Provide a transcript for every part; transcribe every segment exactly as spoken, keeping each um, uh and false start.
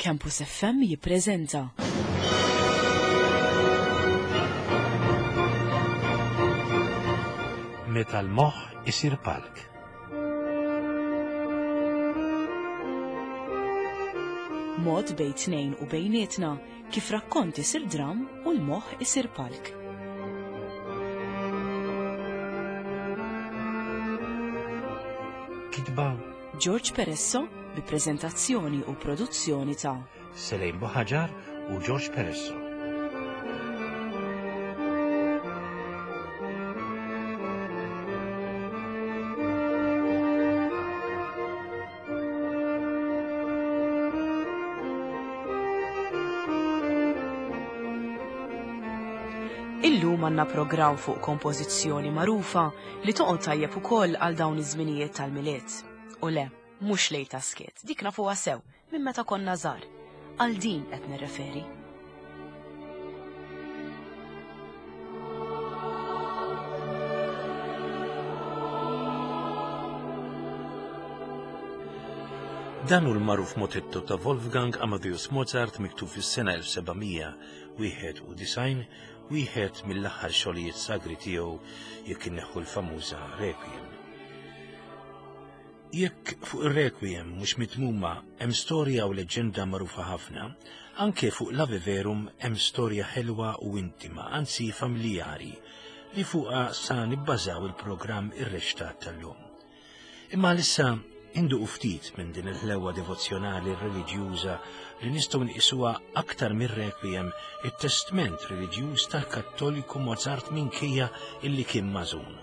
Campus F M jippreżenta Meta l-moħħ isir palk. Mod bejn tnejn u bejnietna kif rakkont isir dram u l-moħħ isir palk. Kitba George Peresso bi preżentazzjoni u produzzjoni ta' Selejn Buħaġar u George Peresso. Illum għandna programm fuq kompożizzjoni magħrufa li toqgħod tajjeb ukoll għal dawn iż-żminijiet tal-Milied. U le, mhux lejl ta' skiet, dik nafuha sew minn meta konna żgħar. Għal din qed nirreferi. Dan hu l-magħruf motetto ta' Wolfgang Amadeus Mozart miktub fis-sena elf sebgħamija wieħed u disgħin, wieħed mill-aħħar xogħlijiet sagri tiegħu jekk inneħħu l-famuża Requiem. Jekk fuq ir-Requiem mhux mitmuma hemm storja u leġġenda magħrufa ħafna, anke fuq l-Ave Verum hemm storja ħelwa u intima, anzi familjari, li fuqha sa nibbażaw il-programm irrextat tal-lum. Imma issa induqu ftit minn din il-ħlewa devozzjonali reliġjuża li nistgħu nqisuha aktar mir-Requiem, it-testment reliġjuż tal-Kattoliku Mozart minkejja illi kien mażun.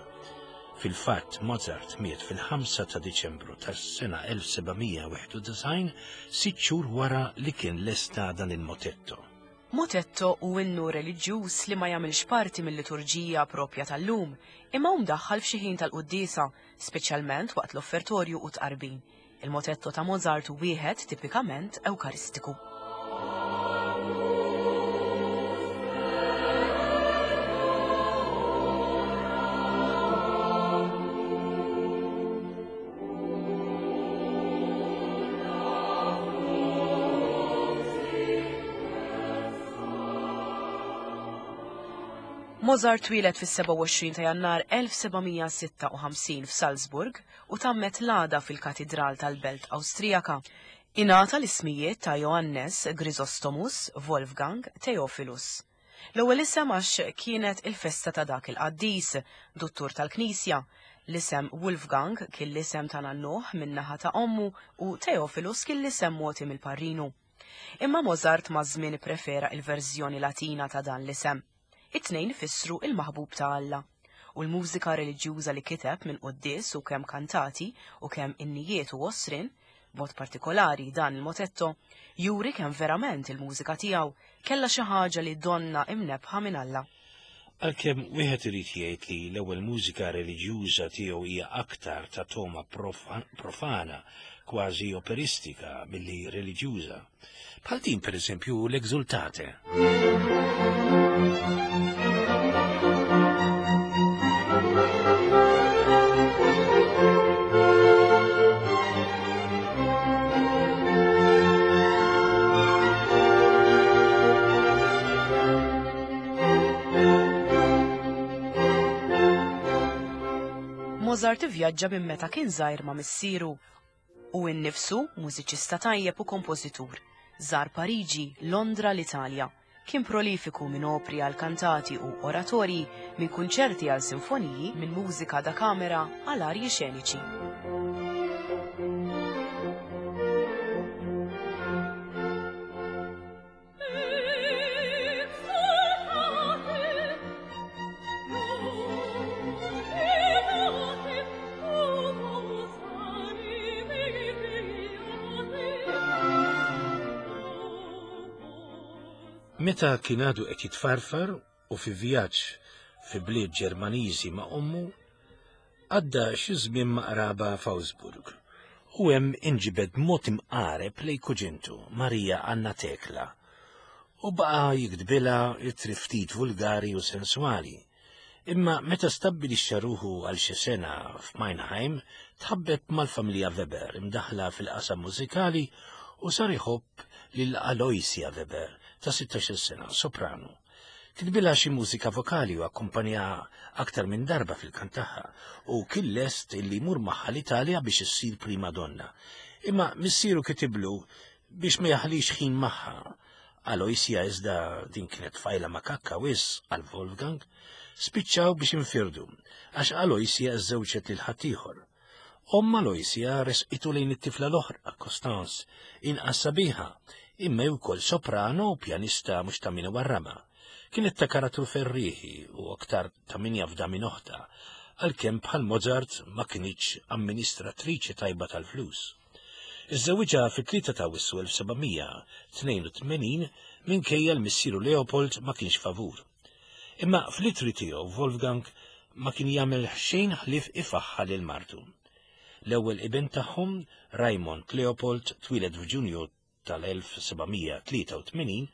Fil-fatt, Mozart miet fil-ħamsa ta' Diċembru tas-sena elf sebgħamija wieħed u disgħin, sitt xhur wara li kien lesta dan il-motetto. Motetto hu innu reliġjuż li ma jagħmilx parti mill-liturġija propja tal-lum, imma hu mdaħħal f'xi ħin tal-quddiesa, speċjalment waqt l-offertorju u tqarbin. Il-motetto ta' Mozart hu wieħed tipikament ewkaristiku. Mozart twieled fis-sebgħa u għoxrin ta' Jannar elf sebgħamija sitta u ħamsin f'Salzburg u tammet l-għada fil-Katidral tal-Belt Awstrijaka. Ingħata l-ismijiet ta' Johannes Chrysostomus Wolfgang Theophilus. L-ewwel isem għax kienet il-festa ta' dak il-qaddis, duttur tal-Knisja. L-isem Wolfgang kien l-isem ta' nannuh min-naħa ta' ommu u Theophilus kien l-isem mogħti mill-parrinu. Imma Mozart maż-żmien ipprefera il-verżjoni Latina ta' dan l-isem. It-tnejn ifissru il-maħbub ta' Alla. U l-mużika reliġjuża li kiteb minn quddies u kemm kantati u kemm innijiet u għosrin, b'mod partikolari dan il-motetto, juri kemm verament il-mużika tiegħu kellha xi ħaġa li donna imnebħa minn Alla. Għalkemm wieħed irid jgħid li l-ewwel mużika reliġjuża tiegħu hija aktar ta' toma profa-, profana, kważi operistika milli reliġjuża. Bħal din pereżempju l-Exultate. Mozart ivvjaġġa minn meta kien żgħir ma' missieru u nnifsu mużiċista tajjeb u kompożitur. Żar Pariġi, Londra, l-Italja. Kien prolifiku minn opri għal kantati u oratorji, minn kunċerti għal sinfoniji, minn mużika da kamera għal arji xeniċi. Meta kien għadu qed jitfarfar u fi vjaġġ fi bliet Ġermaniżi ma' ommu, għadda xi żmien ma' qraba f'Augsburg u hemm inġibed mod imqareb lejn kuġintu Marija Anna Tekla u baqa' jiktbilha ittri ftit vulgari u senswali. Imma meta stabbilixxa ruħu għal xi sena f'Mannheim, tħabbeb mal-familja Weber imdaħla fil-qasam mużikali u sar iħobb lil Aloysia Weber ta' sittax-il sena, soprano. Kitbilha xi mużika vokali u akkumpanjaha aktar minn darba fil-kant tagħha u kien lest illi jmur magħha l-Italja biex issir prima donna. Imma missieru kitiblu biex ma jaħlix ħin magħha. Aloysia iżda din kienet tfajla makakka wis għal Wolfgang, spiċċaw biex infirdu, għax Aloysia żżewġet lil ħaddieħor. Omm Aloysia resqitu lejn it-tifla l-oħra, Costanz, inqas sabiħa, imma wkoll soprano u pjanista mhux ta' min warrama. Kienet ta' karattru ferrieħi u aktar ta' min jafda minn oħta, għalkemm bħal Mozart ma kinitx amministratriċi tajba tal-flus. Iżżewġha fit-tlieta ta' Awwissu elf sebgħamija tnejn u tmenin minkejja l-missieru Leopold ma kienx favur. Imma fl-itri tiegħu Wolfgang ma kien jagħmel xejn ħlief ifaħħa lil martu. L-ewwel iben tagħhom, Raymond Leopold, twieled f'Ġunju tal-elf sebgħamija tlieta u tmenin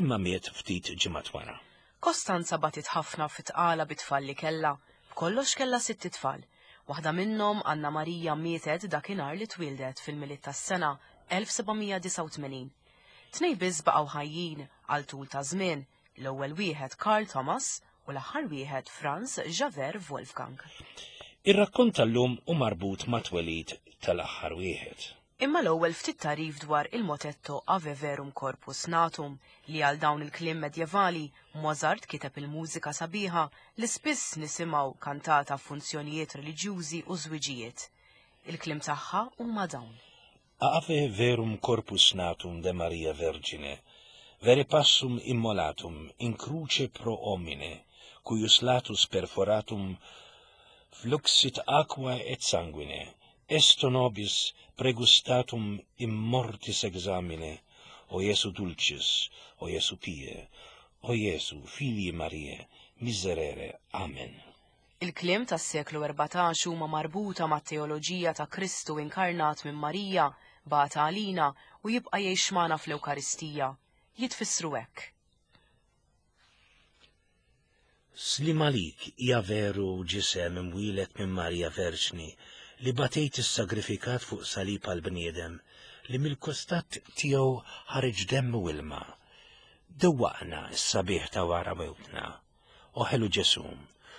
imma miet ftit ġimgħat wara. Kostanza batit ħafna fit-tqala bit-tfal li kellha. B'kollox kellha sitt itfal. Waħda minnhom, Anna Marija, mietet dakinhar li twieldet fil-Milied tas-sena elf sebgħamija disgħa u tmenin. Tnejn biss baqgħu ħajjin għal tul ta' żmien, l-ewwel wieħed Karl Thomas u l-aħħar wieħed Franz Xaver Wolfgang. Ir-rakkont tal-lum hu marbut ma' twelid tal-aħħar wieħed. Imma l-ewwel ftit tarif dwar il-motetto Ave Verum Corpus Natum li għal dawn il-kliem medjevali Mozart kiteb il-mużika sabiħa li spiss nisimgħu kantata f'funzjonijiet reliġjużi u żwiġijiet. Il-kliem tagħha huma dawn. Ave Verum Corpus Natum de Maria Vergine, vere passum immolatum in cruce pro homine, cuius latus perforatum fluxit aqua et sanguine, esto nobis pregustatum in mortis examine, o Jesu dulcis, o Jesu pie, o Jesu filii Mariae, miserere. Amen. Il-kliem tas-seklu erbatax huma marbuta mat-teoloġija ta' Kristu inkarnat minn Marija, bata għalina u jibqa' jgħix magħna fl-Ewkaristija. Jitfissru hekk. Slim għalik hija veru ġisem imwielet minn Marija Verġni li batejt is-sagrifikat fuq salib għal-bniedem li mill-kostat tiegħu ħareġ demm u ilma. Dewwaqna s-sabiħ ta' wara mewtna. O ħelu Ġesu,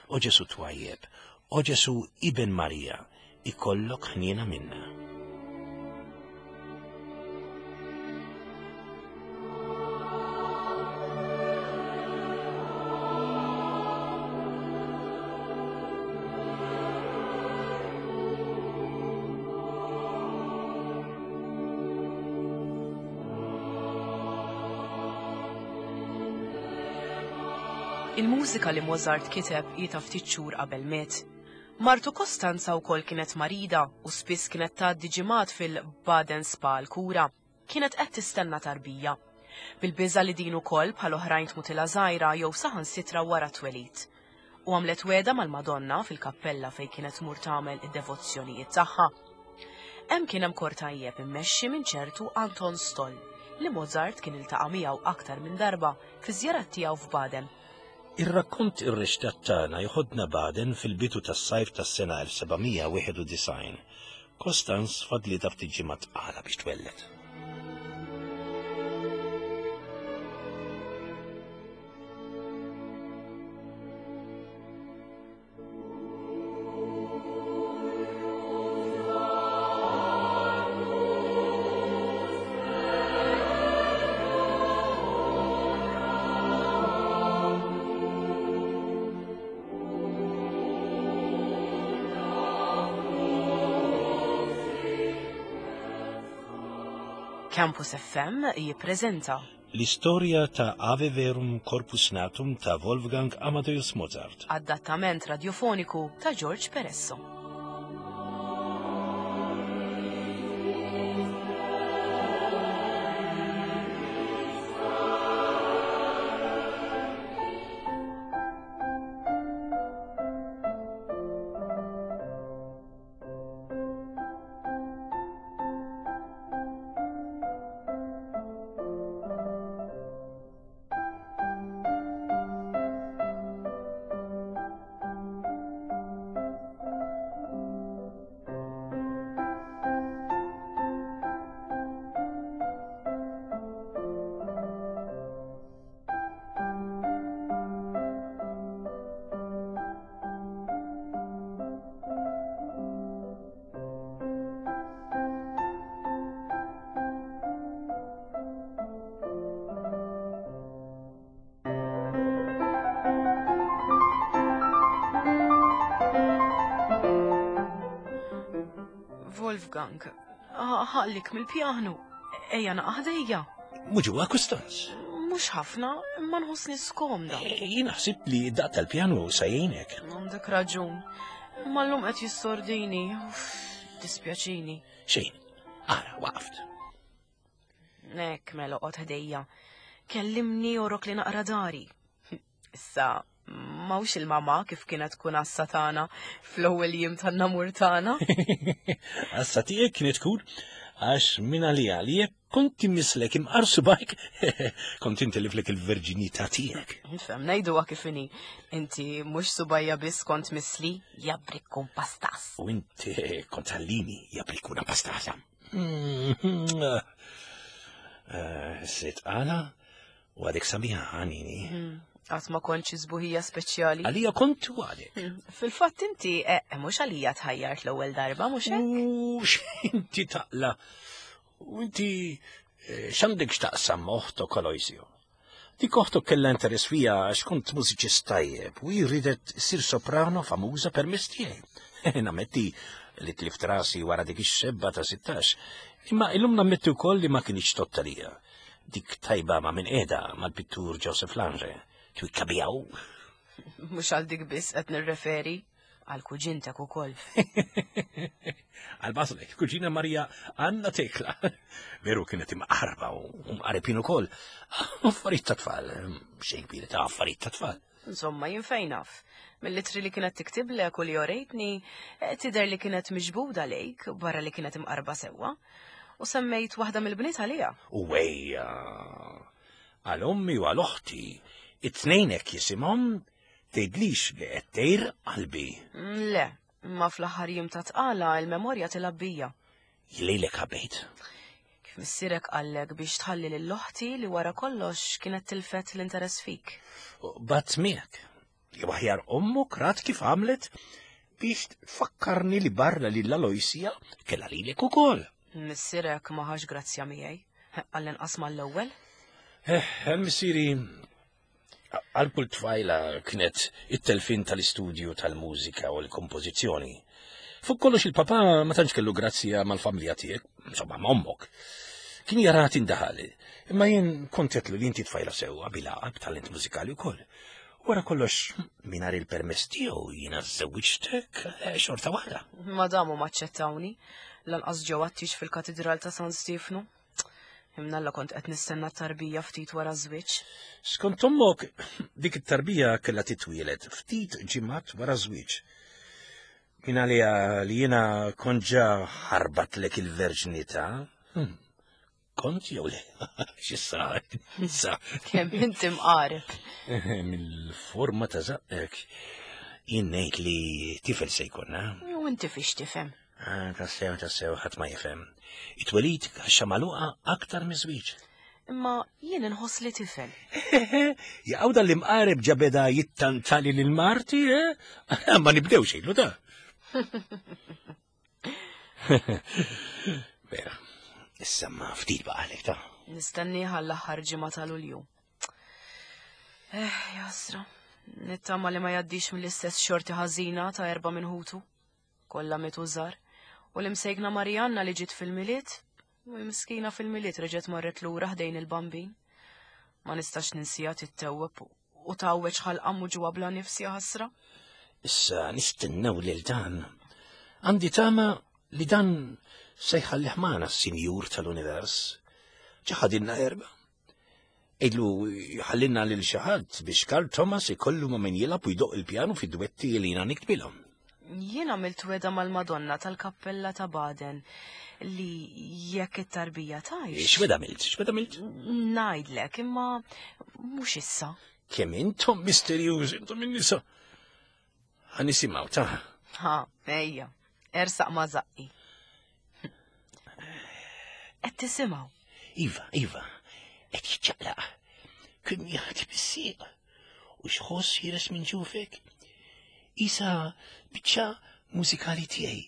o Ġesu twajjeb, o Ġesu ibn Marija, ikollok ħniena minna. Il-mużika li Mozart kiteb hi ta' ftit xhur qabel miet. Martu Kostanza wkoll kienet marida u spiss kienet tgħaddi ġimgħat fil-Baden Spa l-kura. Kienet qed tistenna tarbija. Bil-biża' li din ukoll bħal oħrajn tmutilha żgħira jew saħansitra wara twelid. U għamlet weda mal-Madonna fil-kappella fejn kienet tmur tagħmel id-devozzjonijiet tagħha. Hemm kien hemm kor tajjeb immexxi minn ċertu Anton Stoll li Mozart kien iltaqa' miegħu aktar minn darba fi żjarat tiegħu f'Baden. Ir-rakkont ir-rixtat tagħna jħodna Baden fil-bidu tas-sajf tas-sena elf sebgħamija wieħed u disgħin. Kostanz fadlitha ftit ġimgħat tqala biex twelled. Campus F M jippreżenta L-istorja ta' Ave Verum Corpus Natum ta' Wolfgang Amadeus Mozart. Adattament radiofoniku ta' George Peresso. Wolfgang, ħallik mill-pjanu. Ejja naqħdejja. Mhux Kustanz. Mhux ħafna, imma nħossni skomda. E, jien ħsibt li daq tal-pjanu se jgħinek. Għandek raġun. Imma llum qed jissordini. Uff, dispjaċini. Xejn, ara, waqft. Nek, mela oqgħod ħdejja. Kellimni orok li naqra dari. Issa, mawx il-mama kif kienet tkun għassa tagħna fl-ewwel jiem tan-namur tagħna. Għassa tiegħek kienet tkun għax minn għalija li jekk kont immislek imqar subajk, kont intiliflek il-verġinità tiegħek. Nfhem ngħiduha kif inhi. Inti mhux subajja biss kont misli, jabrikku pastas. U inti kont għallini jabrikuna pastasa. Sitt għala u għadek sabiħa għanini. Qatt ma kontx sbuħija speċjali. Għalija kont u għadek. Fil-fatt inti, eh, mhux għalija tħajjart l-ewwel darba, mhux hekk? U x'inti taqla. U inti eh, x'għandek x'taqsam oħtok Aloysio? Dik oħtok kellha interess fija għax kont mużiċist tajjeb u hi ridet ssir soprano famuża permezz tiegħi. Nammetti li tlift rasi wara dik ix-xebba ta' sittax. Imma illum nammetti wkoll li ma kienx tottalija. Dik tajba ma' min qiegħda mal-pittur Joseph Lange. Twikka bijaw. Mhux għal dik biss qed nirreferi, għal kuġintek ukoll. Għal baslek, kuġina Marija Anna Tekla. Veru kienet imqarba u mqaribin ukoll. Affarijiet ta' tfal, xejn kbir ta' affarijiet ta' tfal. Insomma, jien fejn naf. Mill-ittri li kienet tiktiblek u li orejtni, eh, tidher li kienet miġbuda lejk barra li kienet imqarba sewwa. U semmejt waħda mill-bniet għaliha. U wejja, għal ommi u għal oħti, it-tnejn hekk jisimhom, tgħidlix li qed tgħir qalbi. Mm, Le, ma fl-aħħar jiem ta' tqala il-memorja tilgħab bija. Lilek ħabbejt. Kif missierek qallek biex tħalli lil oħti li wara kollox kienet tilfet l-interess fik. Bat miegħek. Jew aħjar ommok rat kif għamlet biex tfakkarni li barra lil Aloysja kellha lilek ukoll. Missierek ma ħax grazzja miegħi. Għall-inqas mal-ewwel. Eh, missieri għal kull tfajla kienet it-telfin tal-istudju tal-mużika u l-kompożizzjoni. Fuq kollox il-papa ma tantx kellu grazzja mal-familja tiegħek, insomma ma' ommok. Kien jara tindaħal, imma jien kont għedtlu li inti tfajla sewwa bilgħaqal b'talent mużikali wkoll. Wara kollox mingħajr il-permess tiegħu jiena żewwiġtek eh, xorta waħda. Ma damu maċċettawni, lanqas ġew għattix fil-katedral ta' San Stefnu. Imnalla kont qed nistenna t-tarbija ftit wara żwieġ. Skont ommok, dik it-tarbija kellha titwielet ftit ġimgħat wara żwieġ. Min għalija li jiena kont ġa ħarbatlek il-verġnità. Hmm. Kont jew le? X'issa? Issa. Kemm inti mqareb. Mill-forma ta' żaqqek jien ngħid li tifel se jkollna. U inti fiex tifhem. Ah, tassew, tassew, ħadd ma jifhem. It-twelid kaxxa magħluqa aktar miż-żwieġ. Imma jien inħoss li tifel. Jaqaw dan l-imqareb ġa beda jittantali lil marti, eh? Ma nibdew xejlu da. Vera, issa ma ftit baqalek ta'. Nistenniha l-aħħar ġimgħa ta' Lulju. Eh, jasra, nittama li ma jgħaddix mill-istess xorti ħażina ta' erba' minn ħutu. Kollha mietu żgħar. U l-imsejkna Marianna li ġiet fil-Milied, u miskina fil-Milied reġgħet marret lura ħdejn il-Bambin. Ma nistax ninsija tittewweb u tgħawweġ ħalqa ġewwa bla nifs ja ħasra. Issa nistennew lil dan. Għandi tama li dan se jħallih magħna s-sinjur tal-univers. Ġaħadilna erba. Idlu ħallinna lil xi ħadd biex Karl Thomas ikollu ma' min jilgħab u jdoq il-pjanu fid-dwetti li jiena niktbilhom. Jien għamilt weda mal-Madonna tal-Kappella ta' Baden li jekk it-tarbija tgħix. X'weda għamilt? X'weda għamilt? Ngħidlek, imma mhux issa. Kemm intom misterjużi, intom in-nisa. Ħa nisimgħu ta'. Ha, ejja, ersaq ma' żaqqi. Qed tisimgħu. Iva, iva, qed jiċċaqlaq. Kemm jagħti bis-sieq. U x'ħoss ħieles minn ġufek? Isa biċċa mużikali tiegħi.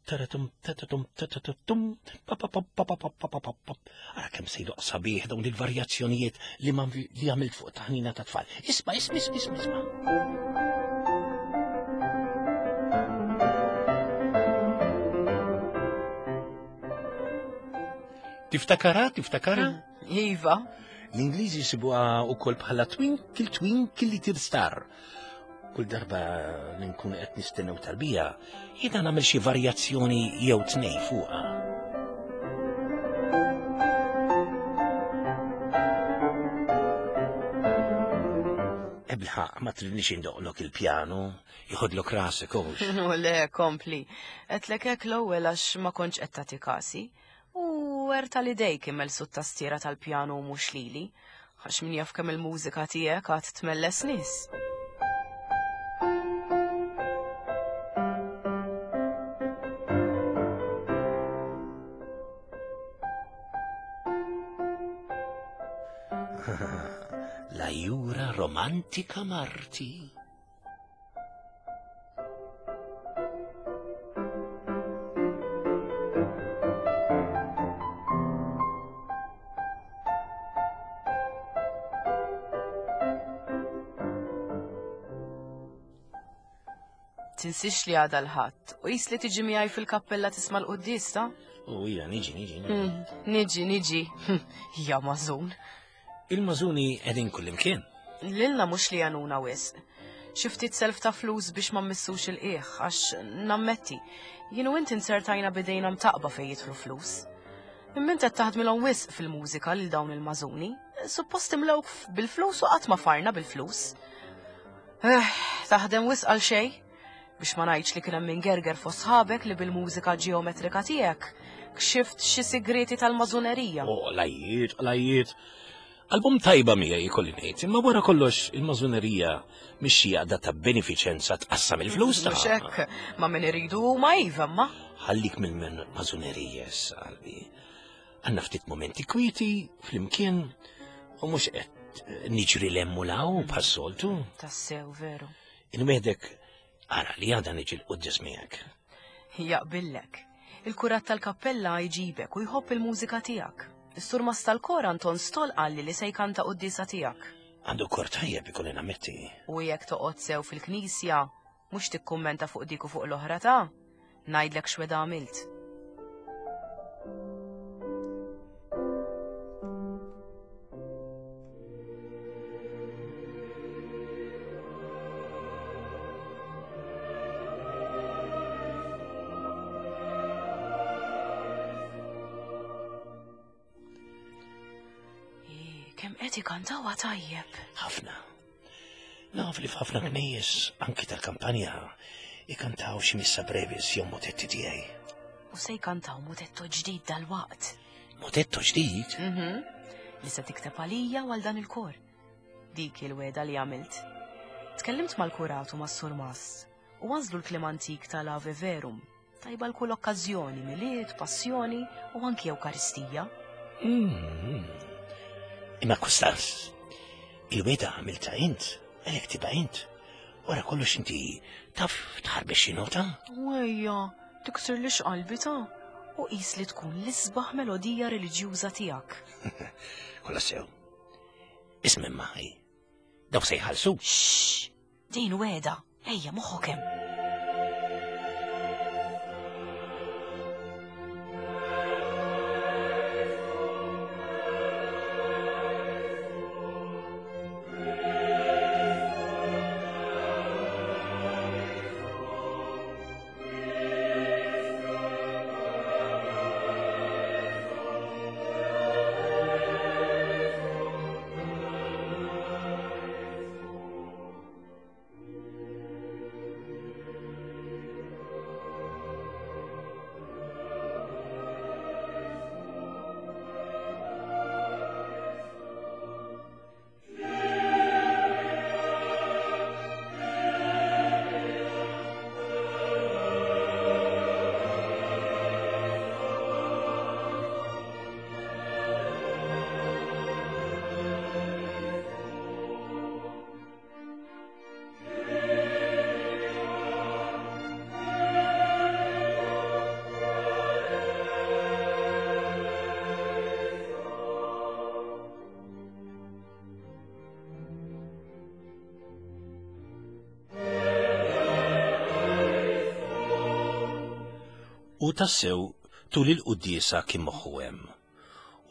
Taratum, tatatum, tatatum, pa pa pa pa pa pa pa pa pa. Ara kemm se jdoq sabiħ dawn il-varjazzjonijiet li ma li għamilt fuq taħnina ta' tfal. Isma', isma', isma', isma', isma'. Tiftakara, tiftakara? Iva. L-Ingliżi jsibuha wkoll bħala Twinkle Twinkle Little Star. Kull darba li nkun qed nistennew tarbija, jiena nagħmel xi varjazzjoni jew tnej fuqha. Ebilħaq, ma tridnix indoqlok il-pjanu, jħodlok rasek hux. U le, kompli. Għedtlek hekk l-ewwel għax ma kontx qed tagħti kasi. U erta li dejk immellsu t-tastiera tal-pjanu u mhux lili. Għax min jaf kemm il-mużika tiegħek għad tmelles nies. La jura romantika marti. Tinsix li għada l-ħadd u jis li tiġi miegħi fil-kappella tisma' l-quddies ta'? U hija niġi, niġi, niġi. Niġi, niġi. Ja mażun. Il-mażuni qegħdin kullimkien. Lilna mhux li għanuna wisq. Xi ftit self ta' flus biex ma mmissux il-qiegħ għax nammetti. Jien u inti nsertajna bidejna mtaqba fejn jidħlu flus. Imma int qed taħdmilhom wisq fil-mużika lil dawn il-mażuni. Suppost imlewk bil-flus u qatt ma farna bil-flus. Eh, taħdem wisq għal xejn. Biex ma ngħidx li kien hemm min gerger fost sħabek li bil-mużika ġeometrika tiegħek kxift xi sigreti tal-mażunerija. Oh, lajiet, lajiet. Album tajba miegħi jkolli ngħid, imma wara kollox il-mażunerija mhix xi għaqda ta' benefiċenza tqassam il-flus ta' Mhux hekk, ma min iridu ma iva ma. Ħallik mill-mażunerija issa qalbi. Għandna ftit momenti kwieti flimkien u mhux qed niġri l-hemm u law bħas-soltu. Tassew veru. Inwedek ara li għada niġi l-quddies miegħek. Jaqbillek. Il-kurat tal-kappella jġibek u jħobb il-mużika tiegħek. Is-surmast tal-kor Anton Stoll qalli li se jkanta quddiesa tiegħek. Għandu kor tajjeb ikolli nammetti. U jekk toqgħod sew fil-knisja, mhux tikkummenta fuq dik u fuq l-oħra ta' ngħidlek x'weda għamilt. Kemm qed ikantawha tajjeb. Ħafna. Naf li f'ħafna knejjes anki tal-kampanja ikantaw xi missa brevis jew motetti tiegħi. U se jkantaw motetto ġdid dal-waqt. Motetto ġdid? Mhm. Li se tikteb għalija u għal dan il-kor. Dik il-weda li għamilt. Tkellimt mal-kurat u mas-surmast u għażlu l-kliem antik tal-Ave Verum. Tajba l-kull okkażjoni, Milied, Passjoni u anki Ewkaristija. Mm. Imma Kustanz, il-weda għamilta int, għalhekk tibqa' int. Wara kollox inti taf tħarbex xi nota? Wejja, tiksirlix qalbi ta' u qis li tkun l-isbaħ melodija reliġjuża tiegħek. Kollha sew. Isma' maħi. Daw se jħallsu. Xxx, din weda, ejja moħħok hemm. U tassew tul il-quddiesa kien moħħu hemm.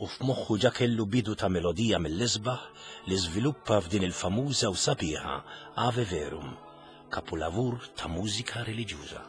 u f'moħħu ġa kellu bidu ta' melodija mill-isbaħ li żviluppa f'din il-famuża u sabiħa Ave Verum, kapulavur ta' mużika reliġjuża.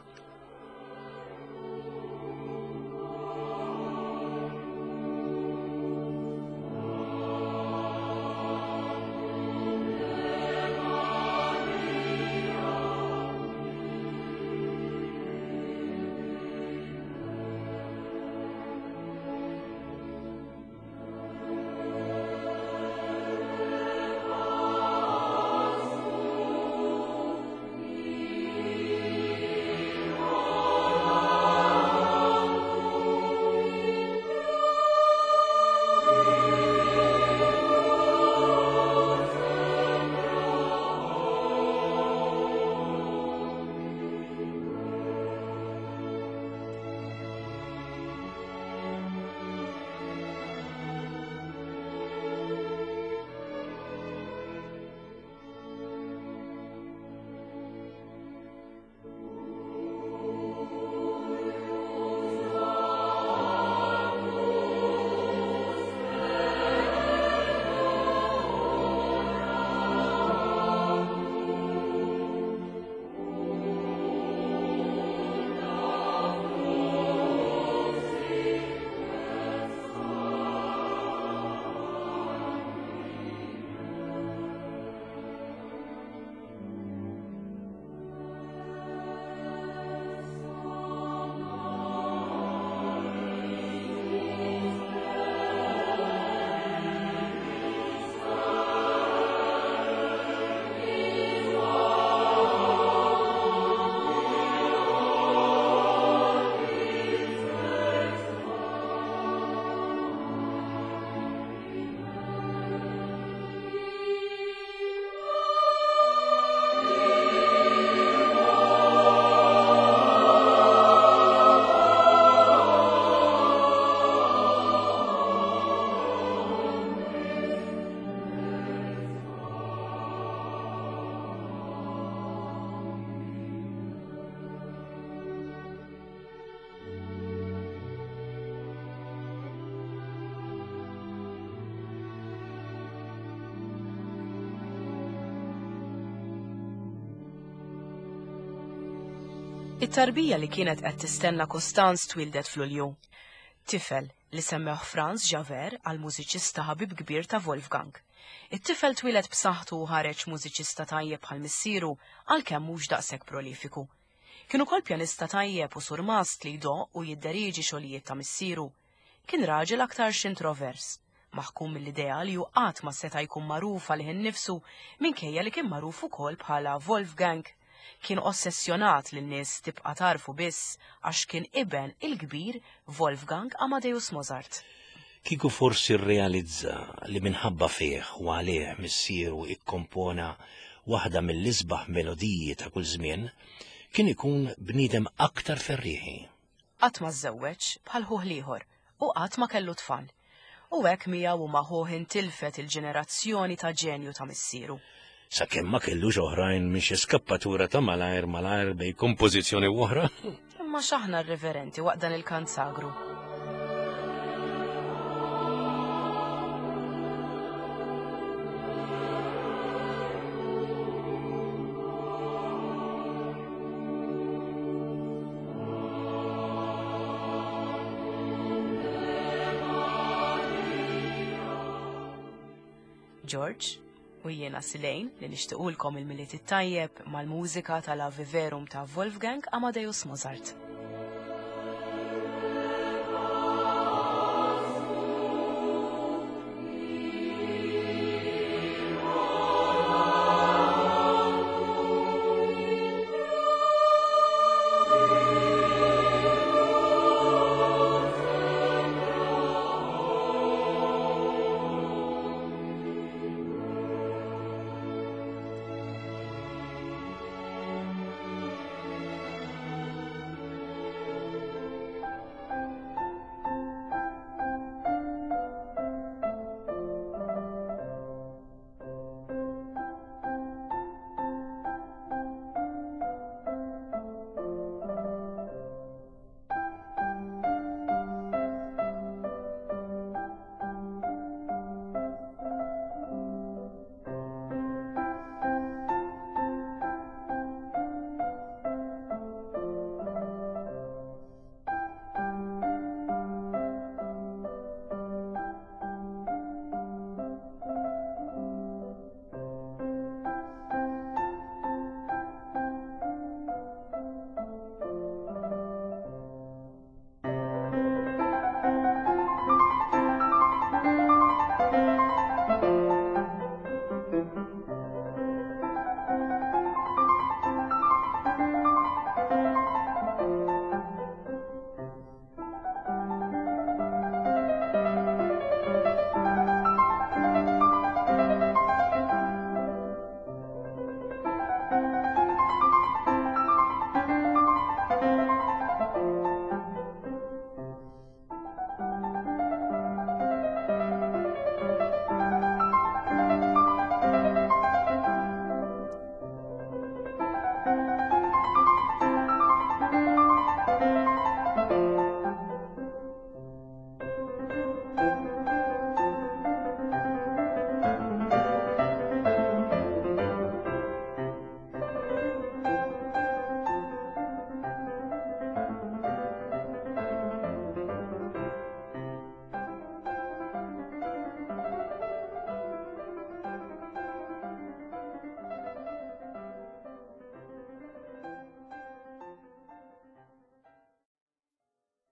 It-tarbija li kienet qed tistenna Costanz twildet f'Lulju. Tifel li semmeħ Franz Xaver għal mużiċista ħabib kbir ta' Wolfgang. It-tifel twieled b'saħħtu u ħareġ mużiċista tajjeb bħal missieru għalkemm mhux daqshekk prolifiku. Kien ukoll pjanista tajjeb u surmast li jdoqq u jidderiġi xogħlijiet ta' missieru. Kien raġel aktarx introvers, maħkum mill-idea li hu qatt ma seta' jkun magħruf għalih innifsu minkejja li kien magħruf ukoll bħala Wolfgang. Kien ossessjonat li n-nies tibqa' tarfu biss għax kien iben il-kbir Wolfgang Amadeus Mozart. Kieku forsi rrealizza li minħabba fih u għalih missieru ikkompona waħda mill-isbaħ melodiji ta' kull żmien, kien ikun bniedem aktar ferrieħi. Qatt ma żżewweġ bħal ħuh l-ieħor u qatt ma kellu tfal. U hekk miegħu u ma' ħuh intilfet il-ġenerazzjoni ta' ġenju ta' missieru. Sakemm ma kellux oħrajn minn xi skappatura ta' malajr malajr bej kompożizzjoni oħra. Imma x'aħna r-reverenti waqt dan il-kant sagru. George, u jiena Silejn li nixtiequlkom il-Milied it-tajjeb mal-mużika tal-Ave Verum ta' Wolfgang Amadeus Mozart.